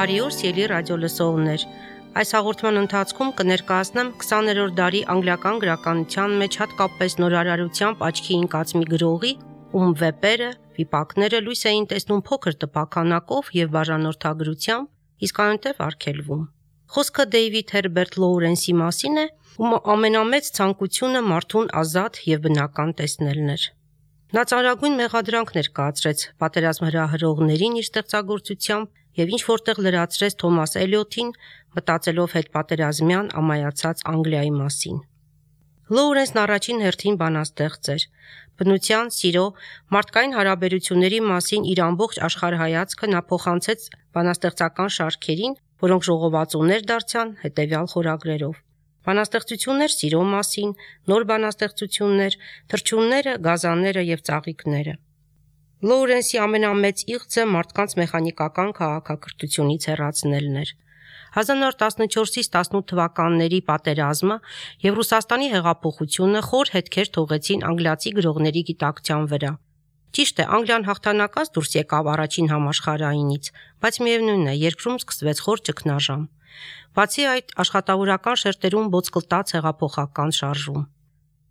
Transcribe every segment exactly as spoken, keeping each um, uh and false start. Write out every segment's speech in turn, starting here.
Բարի օր, սիրելի ռադիոլսողներ։ Այս հաղորդման ընթացքում կներկայացնեմ քսաներորդ դարի անգլիական գրականության մեջ հատկապես նորարարությամբ աչքի ընկած մի գրողի, ում վեպերը, վիպակները լույս էին տեսնում փոքր տպաքանակով եւ բաժանորդագրությամբ, իսկ այնտեղ արգելվում։ Խոսքը Դեյվիդ Հերբերտ Լոուրենսի մասին է, ում ամենամեծ ցանկությունը մարդուն ազատ եւ բնական տեսնելն էր։ Նա ծանրագույն մեղադրանք ներկայացրեց պատերազմ հրահրողներին իր ստեղծագործությամբ եւ ինչ որտեղ լրացրեց Թոմաս Էլիոթին, մտածելով հետպատերազմյան ամայացած Անգլիայի մասին։ Լոուրենսն առաջին հերթին բանաստեղծ էր։ Բնության, սիրո, մարդկային հարաբերությունների մասին իր ամբողջ աշխարհայացքը նա փոխանցեց բանաստեղծական շարքերին, որոնք ժողովածուներ դարձան հետեւյալ խորագրերով. Բանաստեղծություններ սիրո մասին, նոր բանաստեղծություններ, թռչունները, գազանները եւ ծաղիկները։ Լոուրենսի ամենամեծ իղձը մարդկանց մեխանիկական քաղաքակրթությունից հեռացնելն էր։ հազար նոր տասնչորսից տասնութ թվականների պատերազմը եւ Ռուսաստանի հեղափոխությունը խոր հետքեր թողեցին անգլիացի գրողների գիտակցության վրա։ Ճիշտ է, Անգլիան հաղթանակած դուրս եկավ առաջին համաշխարհայինից, բայց միևնույն է, երկրում սկսվեց խոր ճգնաժամ։ Բացի այդ, աշխատավորական շերտերում ոսկլտաց հեղափոխական շարժում։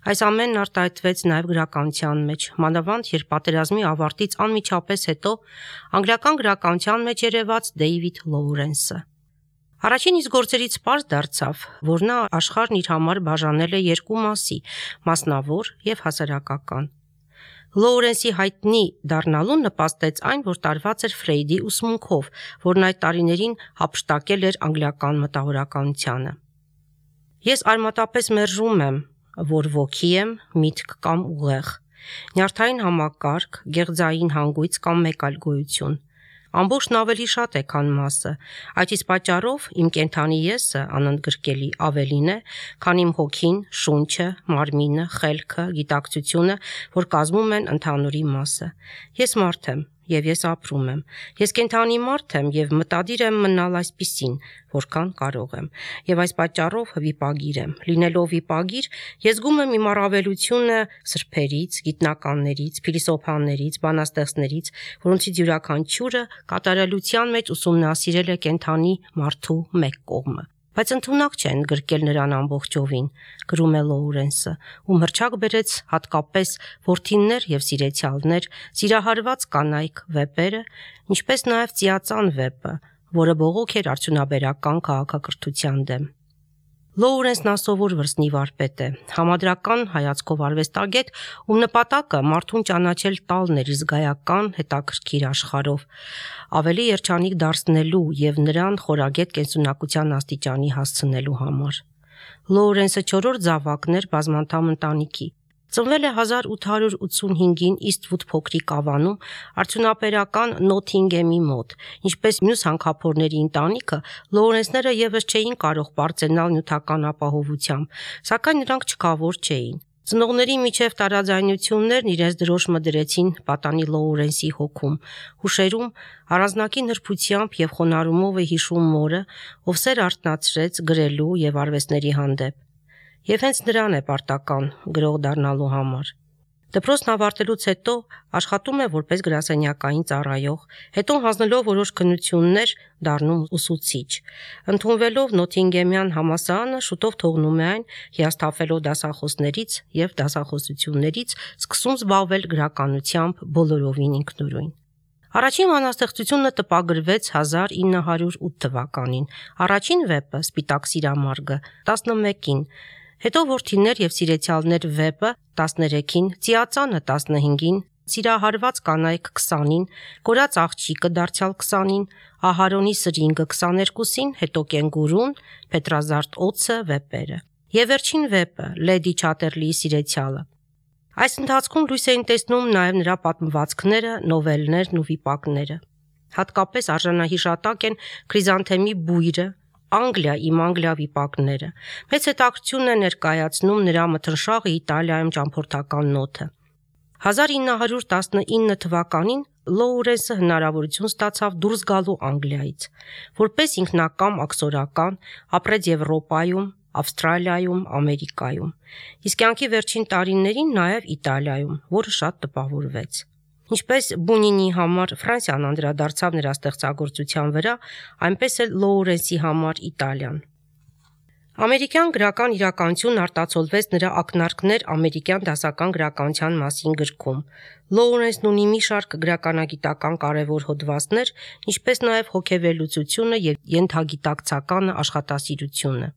Այս ամենն արտահայտվեց նաև գրականության մեջ, մանավանդ երբ պատերազմի ավարտից անմիջապես հետո անգլիական գրականության մեջ երևաց Դեյվիդ Լոուրենսը։ Առաջին իսկ գործերից պարզ դարձավ, որ նա աշխարհն իր համար բաժանել է երկու մասի՝ մասնավոր եւ հասարակական։ Լոուրենսի հայտնի դառնալուն նպաստեց այն, որ տարված էր Ֆրեյդի ուսմունքով, որն այդ տարիներին հափշտակել էր անգլիական մտավորականությանը։ Ես արմատապես մերժում եմ, որ ոգի եմ, միտք կամ ուղեղ, նյարդային համակարգ, գեղձային հանգույց կամ մեկ այլ գոյություն։ Ամբողջն ավելի շատ է, քան մասը, այդ իսկ պատճառով իմ կենդանի եսը անընդգրկելի ավելին է, քան իմ հոգին, շունչը, մարմինը, խելքը, գիտակցությունը, որ կազմում են ընդհանուրի մասը։ Ես մարդ եմ, եւ ես ապրում եմ։ Ես կենդանի մարդ եմ եւ մտադիր եմ մնալ այսպիսին, որքան կարող եմ։ Եվ այս պատճառով վիպագիր եմ։ Լինելով վիպագիր, ես զգում եմ իմ առավելությունը սրբերից, գիտնականներից, փիլիսոփաներից, բանաստեղծներից, որոնցից յուրաքանչյուրը կատարելության մեջ ուսումնասիրել է կենդանի մարդու մեկ կողմը։ Բայց ընդունակ չէ ընդգրկել նրան ամբողջովին, գրում է Լոուրենսը, ում հռչակ բերեց հատկապես որդիններ եւ սիրեցյալներ, սիրահարված կանայք վեպերը, ինչպես նաեւ Ծիածան վեպը, որը բողոք էր արդյունաբերական քաղաքակրթության դեմ։ Լոուրենսն ասովոր վրձնի վարպետ է, համադրական հայացքով արվեստագետ, ում նպատակը մարդուն ճանաչել տալն էր զգայական հետաքրքիր աշխարհով, ավելի երջանիկ դարձնելու եւ նրան խորագետ կենսունակության աստիճանի հասցնելու համար։ Լոուրենսը չորրորդ զավակն էր բազմանդամ ընտանիքի։ Ծնվել է հազար ութ հարյուր ութսունհինգին Իսթվուդ փոքրիկ ավանում, արդյունաբերական Նոթինգեմի մոտ, ինչպես մյուս հանքափորների ընտանիքը, Լոուրենսները եւս չէին կարող բարձենալ նյութական ապահովությամբ, սակայն նրանք չքավոր չէին։ Ծնողների միջև տարաձայնություններն իրենց դրոշմը դրեցին պատանի Լոուրենսի հոգում, հուշերում առանձնակի նրբությամբ եւ խոնարհումով է հիշում մորը, ով սեր արթնացրեց գրելու եւ արվեստների հանդեպ։ Եվ հենց նրան է պարտական գրող դառնալու համար։ Դպրոցն ավարտելուց հետո աշխատում է որպես գրասենյակային ծառայող, հետո հանձնելով որոշ քննություններ դառնում ուսուցիչ։ Ընդունվելով Նոթինգեմյան համալսարանը շուտով թողնում է այն, հիասթափվելով դասախոսներից եւ դասախոսություններից, սկսում զբաղվել գրականությամբ բոլորովին ինքնուրույն։ Առաջին բանաստեղծությունը տպագրվեց հազար ինը հարյուր ութ թվականին, առաջին վեպը Սպիտակ սիրամարգը տասնմեկին, հետո Որդիներ եւ սիրեցյալներ վեպը տասներեքին, Ծիածանը տասնհինգին, Սիրահարված կանայք քսանին, Կորած աղջիկը դարձյալ քսանին, Ահարոնի սրինգը քսաներկուսին, հետո Կենգուրուն, Պետրազարդ օձը վեպերը։ Եվ վերջին վեպը Լեդի Չաթերլիի սիրեցյալը։ Այս ընթացքում լույս էին տեսնում նաև նրա պատմվածքները, նովելներն ու վիպակները։ Հատկապես արժանահիշատակ են Քրիզանթեմի բույրը, Անգլիա, իմ Անգլիա վիպակները։ Մեծ հետաքրքրություն է ներկայացնում նրա մթնշաղը Իտալիայում ճամփորդական նոթը։ հազար ինը հարյուր տասնինը թվականին Լոուրենսը հնարավորություն ստացավ դուրս գալու Անգլիայից, որպես ինքնակամ աքսորական, ապրեց Եվրոպայում, Ավստրալիայում, Ամերիկայում, իսկ կյանքի վերջին տարիներին նաև Իտալիայում, որը շատ տպավորվեց։ Ինչպես Բունինի համար Ֆրանսիան անդրադարձավ նրա ստեղծագործության վրա, այնպես էլ Լոուրենսի համար Իտալիան։ Ամերիկյան գրական իրականությունն արտացոլվեց նրա ակնարկներ ամերիկյան դասական գրականության մասին գրքում։ Լոուրենսն ունի մի շարք գրականագիտական կարևոր հոդվածներ, ինչպես նաև հոգեվերլուծությունը եւ ենթագիտակցական աշխատասիրությունը։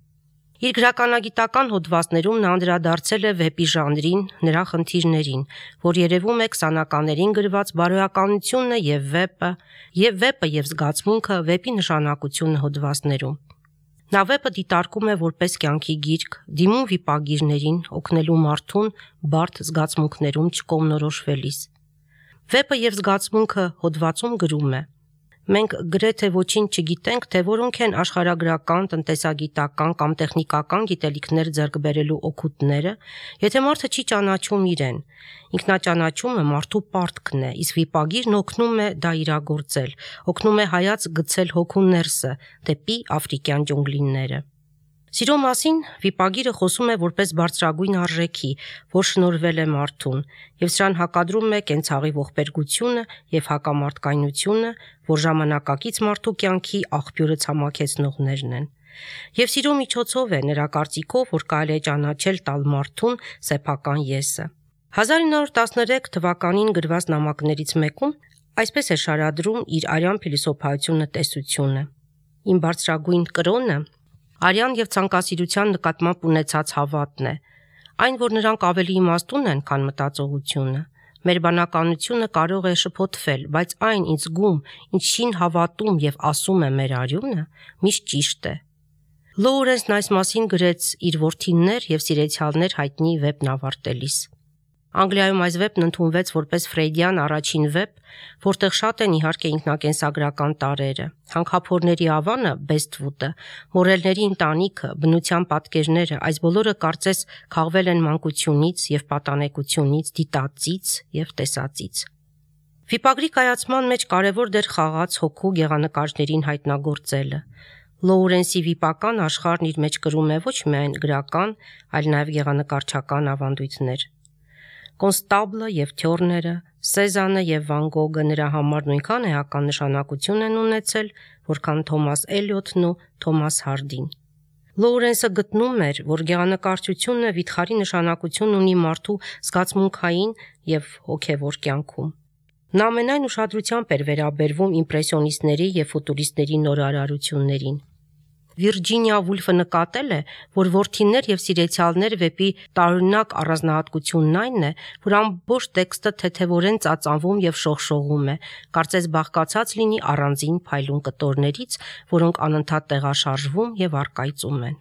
Իր գրականագիտական հոդվածներում նա անդրադարձել է վեպի ժանրին, նրա խնդիրներին, որ երևում է քսանականներին գրված բարոյականությունը եւ վեպը, եւ վեպը եւ զգացմունքը, վեպի նշանակությունը հոդվածներում։ Նա վեպը դիտարկում է որպես կյանքի գիրք, դիմում վիպագիրներին, օգնելու մարդուն բարդ զգացմունքներում չկողմնորոշվելիս։ Վեպը եւ զգացմունքը հոդվածում գրում է. Մենք գրեթե ոչինչ չգիտենք, թե որոնք են աշխարհագրական, տնտեսագիտական կամ տեխնիկական գիտելիքներ ձեռք բերելու օգուտները, եթե մարդը չի ճանաչում իրեն։ Ինքնաճանաչումը մարդու պարտքն է, իսկ վիպագիրն օգնում է դա իրագործել, օգնում է հայաց գցել հոգու ներսը, դեպի աֆրիկյան ջունգլիները։ Սիրո մասին վիպագիրը խոսում է որպես բարձրագույն արժեքի, որ շնորհվել է մարդուն, եւ սրան հակադրում է կենցաղի ողբերգությունը եւ հակամարտկայնությունը, որ ժամանակակից մարդու կյանքի աղբյուրը ցամաքեցնողներն են։ Եվ սիրո միջոցով է նրա կարծիքով, որ կարելի է ճանաչել տալ մարդուն սեփական եսը։ հազար ինը հարյուր տասներեք թվականին գրված նամակներից մեկում այսպես է շարադրում իր արյան փիլիսոփայությունը տեսությունը։ Իմ բարձրագույն կրոնը արյան եւ ցանկասիրության նկատմամբ ունեցած հավատն է, այն, որ նրանք ավելի իմաստուն են, քան մտածողությունը։ Մեր բանականությունը կարող է շփոթվել, բայց այն ինձ գում, ինչին հավատում եւ ասում է մեր արյունը, միշտ ճիշտ է։ Լոուրենսն այս մասին գրեց իր որդիներ եւ սիրեցյալներ հայտնի վեպն ավարտելիս։ Անգլիայում այս վեպն ընդունվեց որպես ֆրեյդյան առաջին վեպ, որտեղ շատ են իհարկե ինքնակենսագրական տարրերը։ Հանքափորների ավանը, Բեսթվուդը, մորելների ընտանիքը, բնության պատկերները, այս բոլորը կարծես քաղվել են մանկությունից եւ պատանեկությունից, դիտածից եւ տեսածից։ Վիպագրի կայացման մեջ կարևոր դեր խաղաց հոգու գեղանկարներին հայտնագործելը։ Լոուրենսի վիպական աշխարհն իր մեջ կրում է ոչ միայն գրական, այլ նաեւ գեղանկարչական ավանդույթներ։ Կոնստաբլը եւ Թյորները, Սեզանը եւ Վան Գոգը նրա համար նույնքան էական նշանակություն են ունեցել, որքան Թոմաս Էլիոթն ու Թոմաս Հարդին։ Լոուրենսը գտնում էր, որ գեղանկարչությունը վիթխարի նշանակություն ունի մարդու զգացմունքային եւ հոգեվոր կյանքում։ Նա ամենայն ուշադրությամբ էր վերաբերվում իմպրեսիոնիստների եւ ֆուտուրիստների նորարարություններին։ Վիրջինիա Վուլֆը նկատել է, որ որդիներ եւ սիրեցյալներ վեպի տարօրինակ առանձնահատկությունն այն է, որ ամբողջ տեքստը թեթևորեն ծածանվում եւ շողշողում է, կարծես բաղկացած լինի առանձին փայլուն կտորներից, որոնք անընդհատ տեղաշարժվում եւ առկայծում են։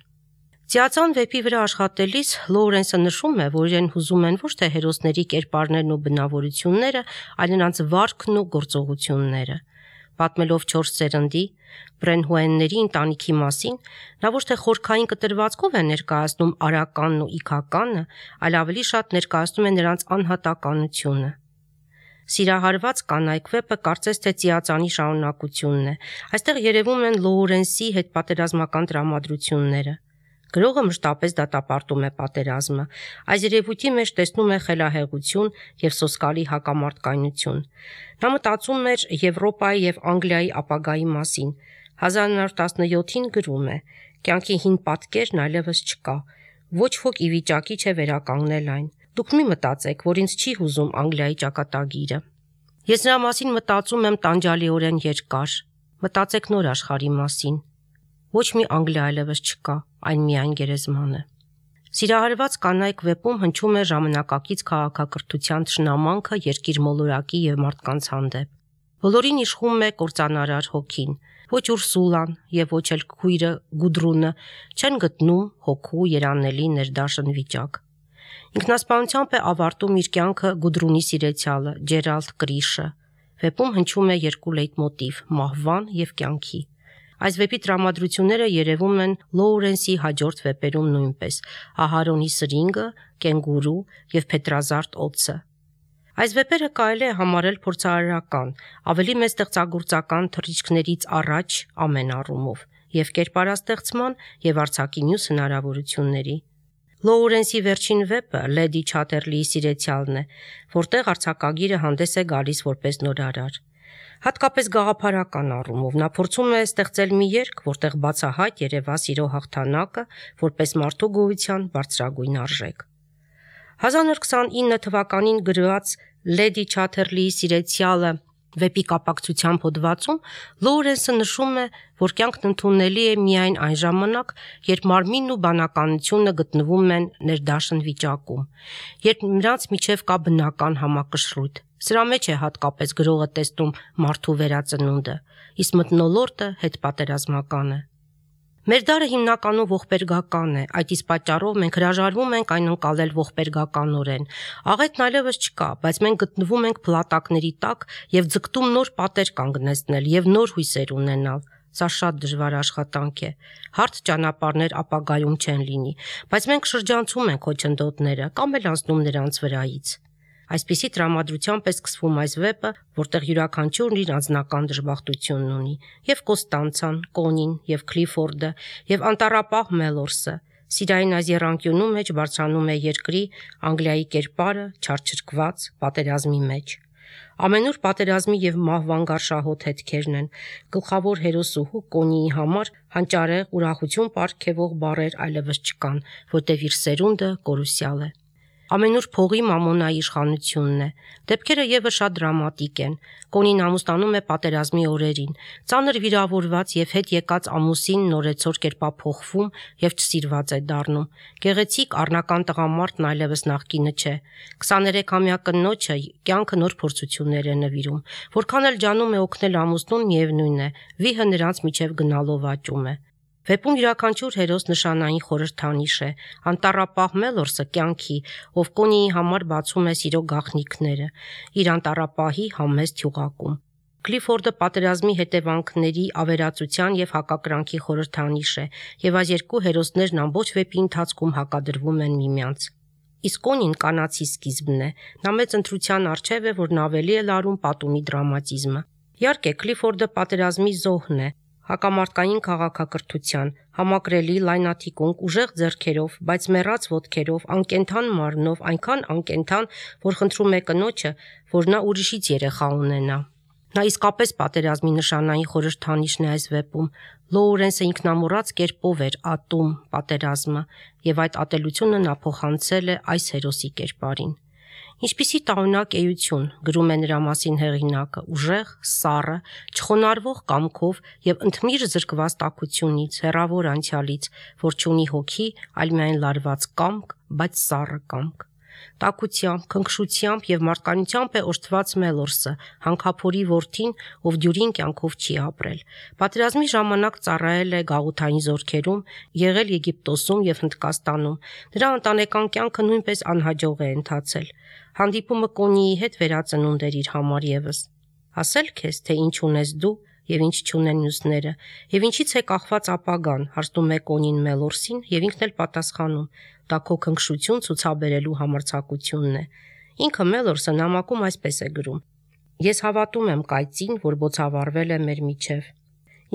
Ծիածան վեպի վրա աշխատելիս Լոուրենսը նշում է, որ իրեն հուզում են ոչ թե հերոսների կերպարներն ու բնավորությունները, այլ նրանց վարքն ու գործողությունները։ Պատմելով չորս սերնդի Բրենհուենների ընտանիքի մասին, նա ոչ թե խորքային կտրվածքով է ներկայացնում արականն ու իքականը, այլ ավելի շատ ներկայացնում է նրանց անհատականությունը։ Սիրահարված կանայք վեպը կարծես թե ծիածանի շարունակությունն է։ Այստեղ երևում են Լոուրենսի հետպատերազմական տրամադրությունները։ Գրողը մշտապես դատապարտում է պատերազմը։ Այս երևույթի մեջ տեսնում է խելահեղություն եւ սոսկալի հակամարտկայնություն։ Նա մտածում էր Եվրոպայի եւ Անգլիայի ապագայի մասին։ հազար ինը հարյուր տասնյոթին գրում է. «Կյանքի հին պատկերն այլևս չկա։ Ոչ ոք ի վիճակի չէ վերականգնել այն։ Դուք մի մտածեք, որ ինձ չի հուզում Անգլիայի ճակատագիրը։ Ես նրա մասին մտածում եմ տանջալիորեն երկար։ Մտածեք նոր աշխարհի մասին։ Ոչ մի Անգլիա այլևս չկա, այն միայն գերեզմանը»։ Սիրահարված կանայք վեպում հնչում է ժամանակակից քաղաքակրթության թշնամանքը երկիր մոլորակի եւ մարդկանց հանդեպ։ Բոլորին իշխում է կործանարար հոգին։ Ոչ Ուրսուլան եւ ոչ էլ քույրը Գուդրունը չեն գտնում հոգու երանելի ներդաշն վիճակ։ Ինքնասպանությամբ է ավարտում իր կյանքը Գուդրունի սիրեցյալը Ջերալդ Կրիշը։ Վեպում հնչում է երկու լեյտմոտիվ՝ մահվան եւ կյանքի։ Այս վեպի տրամադրությունները երևում են Լոուրենսի հաջորդ վեպերում նույնպես՝ Ահարոնի սրինգը, Կենգուրու եւ Փետրազարդ օձը։ Այս վեպերը կարելի է համարել փորձարարական, ավելի մեծ ստեղծագործական թռիչքներից առաջ ամեն առումով, եւ կերպարաստեղծման եւ արձակի մյուս հնարավորությունների։ Լոուրենսի վերջին վեպը Լեդի Չաթերլիի սիրեցյալն է, որտեղ արձակագիրը հանդես է գալիս որպես նորարար։ Հատկապես գաղափարական առումով նա փորձում է ստեղծել մի երգ, որտեղ բացահայտ երևա սիրո հաղթանակը որպես մարդու գոյության բարձրագույն արժեք։ հազար նոր քսանինը թվականին գրված Լեդի Չաթերլիի սիրեցյալը վեպի կապակցությամբ հոդվածում Լոուրենսը նշում է, որ կյանքն ընդունելի է միայն այն ժամանակ, երբ մարմինն ու բանականությունը գտնվում են ներդաշն վիճակում, երբ նրանց միջև կա բնական համակշռույթ։ Սրա մեջ է հատկապես գրողը տեսնում մարդու վերածնունդը, իսկ մթնոլորտը հետպատերազմական է։ Մեր դարը հիմնականում ողբերգական է, այդ իսկ պատճառով մենք հրաժարվում ենք այն ընկալել ողբերգականորեն։ Աղետն այլևս չկա, բայց մենք գտնվում ենք փլատակների տակ եւ ձգտում նոր պատեր կանգնեցնել եւ նոր հույսեր ունենալ։ Սա շատ դժվար աշխատանք է։ Հարթ ճանապարհներ ապագայում չեն լինի, բայց մենք շրջանցում ենք խոչընդոտները կամ էլ անցնում նրանց վրայից։ Այսպիսի տրամադրությամբ է սկսվում այս վեպը, որտեղ յուրաքանչյուրն իր անձնական դժբախտությունն ունի, եւ Կոստանցան, Կոնին, եւ Քլիֆորդը, եւ անտառապահ Մելորսը։ Սիրային այս եռանկյունու մեջ բարձրանում է երկրի Անգլիայի կերպարը, չարչրկված պատերազմի մեջ։ Ամենուր պատերազմի եւ մահվան գարշահոտ հետքերն են։ Գլխավոր հերոսուհու Կոնիի համար հանճարեղ ուրախություն պարգևող բառեր այլևս չկան, որտեղ իր սերունդը կորուսյալ է։ Ամենուր փողի մամոնայի իշխանությունն է։ Դեպքերը եւս շատ դրամատիկ են։ Կոնին ամուսնանում է պատերազմի օրերին։ Ծանր վիրավորված եւ հետ եկած ամուսին նորեցօր կերպափոխվում եւ չսիրված է դառնում։ Գեղեցիկ առնական տղամարդն այլևս նախկինը չէ։ քսաներեքամյա կնոջը կյանքը նոր փորձություններ է նվիրում։ Որքան էլ ջանում է օգնել ամուսնուն, միևնույն է, վիհը նրանց միջև գնալով աճում է։ Վեպում յուրաքանչյուր հերոս նշանային խորհրդանիշ է։ Անտառապահ Մելորսը կյանքի, ով Կոնիի համար բացում է սիրո գաղտնիքները, իր անտառապահի համեստ հյուղակում։ Քլիֆորդը պատերազմի հետևանքների ավերածության եւ հակակրանքի խորհրդանիշ է, եւ այս երկու հերոսներն ամբողջ վեպի ընթացքում հակադրվում են միմյանց։ Իսկ Կոնին կանացի սկիզբն է։ Նա մեծ ընտրության առջև է, որն ավելի է լարում պատումի դրամատիզմը։ Իհարկե, Քլիֆորդը պատերազմի զոհն է, հակամարտկային քաղաքակրթության, համակրելի լայնաթիկունք, ուժեղ ձեռքերով, բայց մեռած ոտքերով, անկենթան մարմնով, այնքան անկենթան, որ խնդրում է կնոջը, որ նա ուրիշից երեխա ունենա։ Նա իսկապես պատերազմի նշանային խորհրդանիշն է այս վեպում։ Լոուրենսը ինքնամոռաց կերպով էր ատում պատերազմը, եւ այդ ատելությունը նա փոխանցել է այս հերոսի կերպարին։ Ինչպիսի տարօրինակ էություն, գրում է նրա մասին հեղինակը, ուժեղ, սառը, չխոնարհվող կամքով եւ ընդմիր զրկված տաքությունից, հեռավոր անցյալից, որ չունի հոգի, այլ միայն լարված կամք, բայց սառը կամք։ Տաքությամբ, քնքշությամբ եւ մարդկանությամբ է օժտված Մելորսը, հանքափորի որդին, ով դյուրին կյանքով չի ապրել։ Պատերազմի ժամանակ ծառայել է գաղութային զորքերում, եղել Եգիպտոսում եւ Հնդկաստանում։ Նրա ընտանեկան կյանքը նույնպես անհաջող է ընթացել։ Հանդիպումը Կոնիի հետ վերածնունդ էր իր համար եւս։ Ասել քեզ, թե ինչ ունես դու եւ ինչ չունեն մյուսները, եւ ինչից է կախված ապագան, հարցնում է Կոնին Մելորսին եւ ինքն էլ պատասխանում. դա քո քնքշություն ցուցաբերելու համարձակությունն է։ Ինքը Մելորսը նամակում այսպես է գրում. Ես հավատում եմ կայծին, որ բոցավառվել է մեր միջև։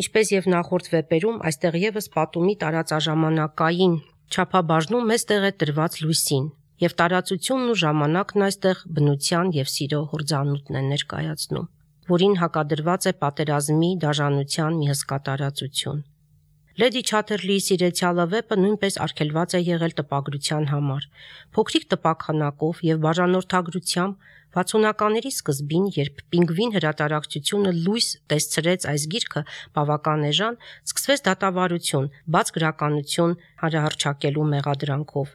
Ինչպես եւ նախորդ վեպերում, այստեղ եւս պատումի տարածաժամանակային չափաբաժնում մեծ տեղ է տրված լույսին, եւ տարածությունն ու ժամանակն այստեղ բնության եւ սիրո հորձանուտն է ներկայացնում, որին հակադրված է պատերազմի դաժանության մի հսկա տարածություն։ Լեդի Չաթերլիի սիրեցյալը վեպը նույնպես արգելված է եղել տպագրության համար։ Փոքրիկ տպաքանակով եւ բաժանորդագրությամբ վաթսունականների սկզբին, երբ Պինգվին հրատարակչությունը լույս տեսցրեց այս գիրքը բավական էժան, սկսվեց դատավարություն, բաց գրականություն հանրահռչակելու մեղադրանքով։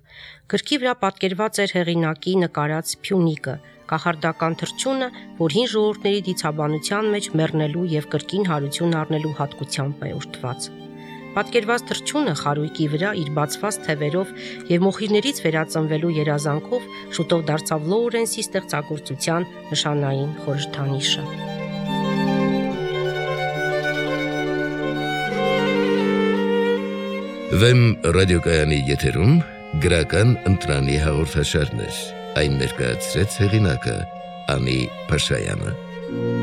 Գրքի վրա պատկերված էր հեղինակի նկարած Փյունիկը, կախարդական թռչունը, որ հին ժողովուրդների դիցաբանության մեջ մեռնելու եւ կրկին հարություն առնելու հատկությամբ է օժտված։ Պատկերված թռչունը խարույկի վրա իր բացված թևերով եւ մոխիրներից վերածնվելու երազանքով շուտով դարձավ Լոուրենսի ստեղծագործության նշանային խորհրդանիշը։ Վեմ ռադիոկայանի եթերում գրական ընտրանի հաղորդաշարներ, այն ներկայացրեց հեղինակը Անի Փաշայանը։